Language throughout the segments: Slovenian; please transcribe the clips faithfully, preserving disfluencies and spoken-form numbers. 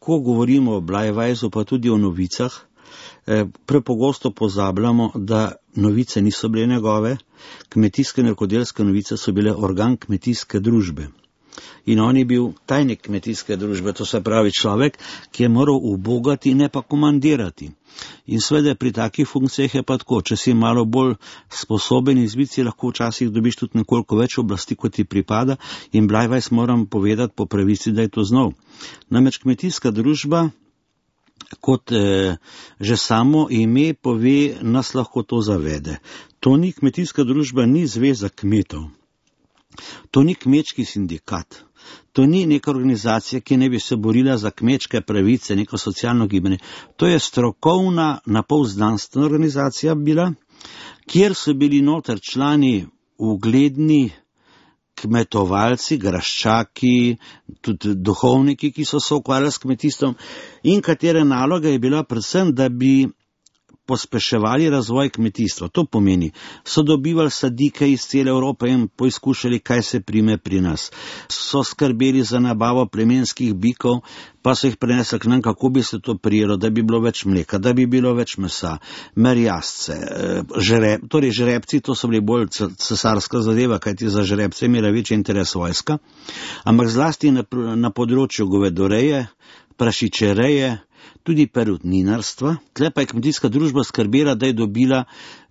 ko govorimo o Bleiweisu, pa tudi o novicah, prepogosto pozabljamo, da novice niso bile njegove, kmetijske in rokodelske novice so bile organ kmetijske družbe. In on je bil tajnik kmetijske družbe, to se pravi človek, ki je moral ubogati, ne pa komandirati. In seveda pri takih funkcijah je pa tako, če si malo bolj sposoben izbiti, si lahko včasih dobiš tudi nekoliko več oblasti, kot ti pripada, in Bleiweis moram povedati po pravici, da je to znal. Namreč kmetijska družba, kot eh, že samo ime pove, nas lahko to zavede. To ni kmetijska družba, ni zveza kmetov. To ni kmečki sindikat. To ni neka organizacija, ki ne bi se borila za kmečke pravice, neko socialno gibanje. To je strokovna, napol znanstvena organizacija bila, kjer so bili noter člani ugledni kmetovalci, graščaki, tudi duhovniki, ki so se ukvarjali s kmetijstvom, in katere naloga je bila predvsem, da bi pospeševali razvoj kmetijstva. To pomeni, so dobivali sadike iz cele Evrope in poizkušali, kaj se prime pri nas. So skrbeli za nabavo plemenskih bikov, pa so jih prenesli k nam, kako bi se to prijelo, da bi bilo več mleka, da bi bilo več mesa, merjasce, žreb, torej žrebci, to so bili bolj cesarska zadeva, kajti za žrebce imela večji interes vojska, ampak zlasti na, na področju govedoreje, prašičereje, tudi perutninarstva. Tle pa je kmetijska družba skrbela, da je dobila,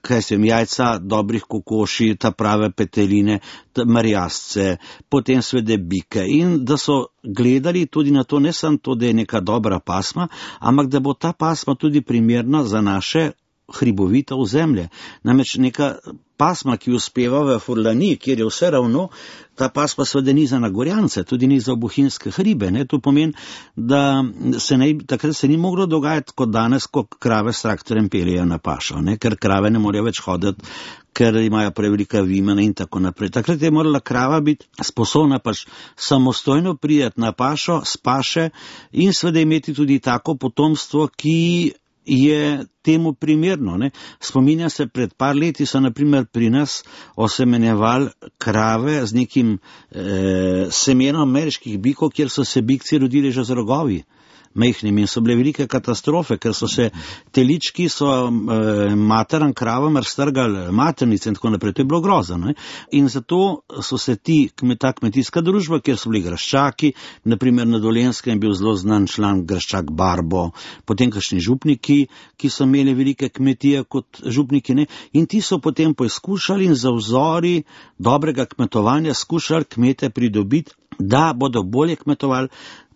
kaj sem, jajca dobrih kokoši, ta prave peteline, merjasce, potem svede bike, in da so gledali tudi na to, ne samo to, da je neka dobra pasma, ampak da bo ta pasma tudi primerna za naše hribovite ozemlje. Namreč neka pasma, ki uspeva v Furlaniji, kjer je vse ravno, ta pasma seveda ni za Nagorjance, tudi ni za bohinjske hribe. Ne? To pomeni, da se ne, takrat se ni moglo dogajati kot danes, ko krave s traktorjem peljejo na pašo, ne? Ker krave ne morejo več hoditi, ker imajo prevelika vimena in tako naprej. Takrat je morala krava biti sposobna pač samostojno prijeti na pašo, s paše in seveda imeti tudi tako potomstvo, ki je temu primerno. Ne? Spominjam se, pred par leti so naprimer pri nas osemenjevali krave z nekim eh, semenom ameriških bikov, kjer so se bikci rodili že z rogovi mehnim, in so bile velike katastrofe, ker so se telički so e, materan kravam raztrgali maternice in tako naprej. To je bilo grozno. In zato so se ti, ta kmetijska družba, kjer so bili graščaki, naprimer na Dolenjskem je bil zelo znan član graščak Barbo, potem kakšni župniki, ki so imeli velike kmetije kot župniki, ne? In ti so potem poizkušali in za vzori dobrega kmetovanja skušali kmete pridobiti, da bodo bolje kmetovali,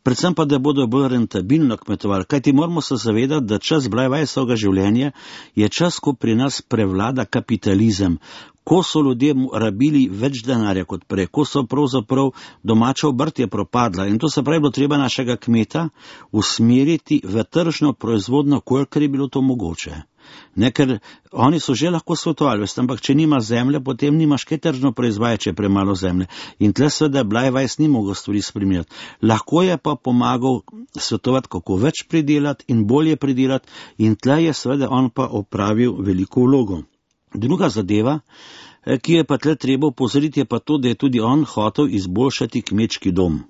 predvsem pa, da bodo bolj rentabilno kmetovali. Kajti moramo se zavedati, da čas Bleiweisovega življenja je čas, ko pri nas prevlada kapitalizem, ko so ljudje rabili več denarja kot prej, ko so pravzaprav domača obrt je propadla. In to se pravi, bilo treba našega kmeta usmeriti v tržno proizvodno, kolikor je bilo to mogoče. Ne, ker oni so že lahko svetovali, ampak če nima zemlje, potem nimaš kaj tržno proizvajati, če je premalo zemlje. In tle seveda Bleiweis ni mogel stvari spremeniti. Lahko je pa pomagal svetovati, kako več pridelati in bolje pridelati, in tle je seveda on pa opravil veliko vlogo. Druga zadeva, ki je pa tle treba opozoriti, je pa to, da je tudi on hotel izboljšati kmečki dom.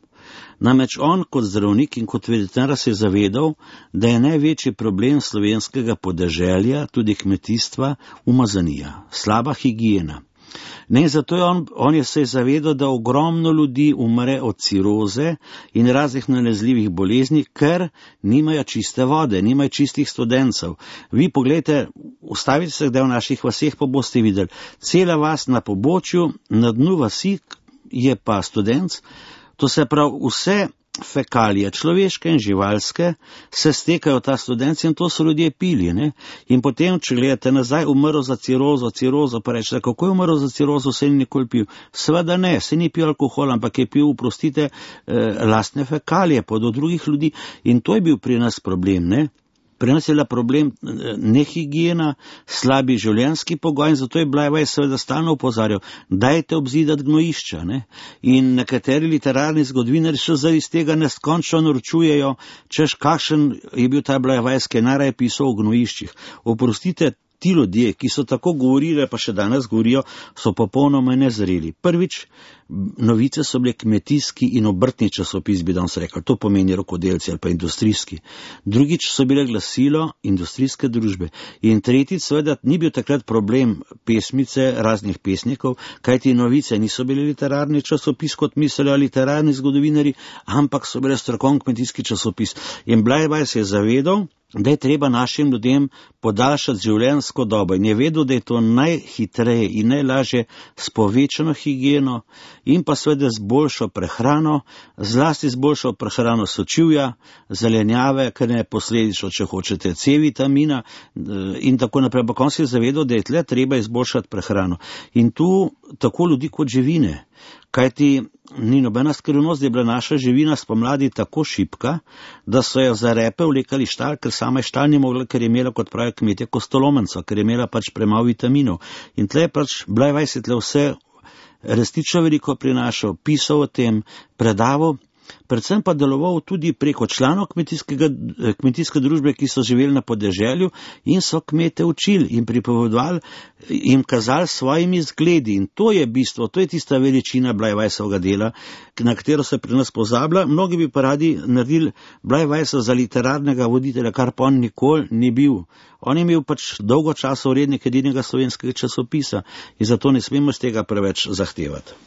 Namreč on kot zdravnik in kot veterinar se je zavedal, da je največji problem slovenskega podeželja, tudi kmetijstva, umazanija, slaba higiena. Ne, zato je on, on je se zavedal, da ogromno ljudi umre od ciroze in raznih nalezljivih bolezni, ker nimajo čiste vode, nimajo čistih studencev. Vi pogledajte, ustavite se kdaj v naših vaseh, pa boste videli, cela vas na pobočju, na dnu vasi je pa studenc. To se pravi, vse fekalije, človeške in živalske, se stekajo ta studenci in to so ljudje pili. Ne? In potem, če gledate nazaj, umrl za cirozo, cirozo, pa rečete, kako je umrl za cirozo, se ni nikoli pil. Seveda ne, se ni pil alkohol, ampak je pil, oprostite, eh, lastne fekalije, pa do drugih ljudi. In to je bil pri nas problem, ne? Pri nas je bila problem nehigiena, slabi življenjski pogoj, in zato je Bleiweis seveda stalno opozarjal, dajte obzidati gnojišča. Ne? In nekateri literarni zgodovinarji še zdaj iz tega neskončno norčujejo, češ kakšen je bil ta Bleiweis, ki je najraje pisal o gnojiščih. Oprostite, ti ljudje, ki so tako govorili, pa še danes govorijo, so popolnoma nezreli. Prvič, novice so bile kmetijski in obrtni časopis, bi danes rekel, to pomeni rokodelci ali pa industrijski. Drugič so bile glasilo industrijske družbe. In tretjič, seveda, ni bil takrat problem pesmice raznih pesnikov, kajti novice niso bili literarni časopis, kot mislijo literarni zgodovinari, ampak so bile strokovni kmetijski časopis. In Bleiweis je zavedal, da je treba našim ljudem podaljšati življenjsko dobo in je vedel, da je to najhitreje in najlažje s povečano higieno in pa seveda z boljšo prehrano, zlasti z boljšo prehrano sočivja, zelenjave, ker ne posledično, če hočete, C vitamina in tako naprej. Ampak on se je zavedal, da je tle treba izboljšati prehrano. In tu tako ljudi kot živine. Kajti ni nobena skrivnost, da je bila naša živina spomladi tako šibka, da so jo za repe vlekali štal, ker sama je štal ni mogla, ker je imela, kot pravijo kmetje, kostolomenco, ker je imela pač premalo vitaminov. In tle je pač Bleiweis je tle vse resnično veliko prinašal, pisal o tem, predaval, predvsem pa deloval tudi preko članov kmetijske družbe, ki so živeli na podeželju in so kmete učili in pripovedovali, jim kazali svojimi zgledi. In to je bistvo, to je tista veličina Bleiweisovega dela, na katero se pri nas pozablja. Mnogi bi pa radi naredili Bleiweisa za literarnega voditelja, kar pa on nikoli ni bil. On je imel pač dolgo časa urednik edinega slovenskega časopisa in zato ne smemo z tega preveč zahtevati.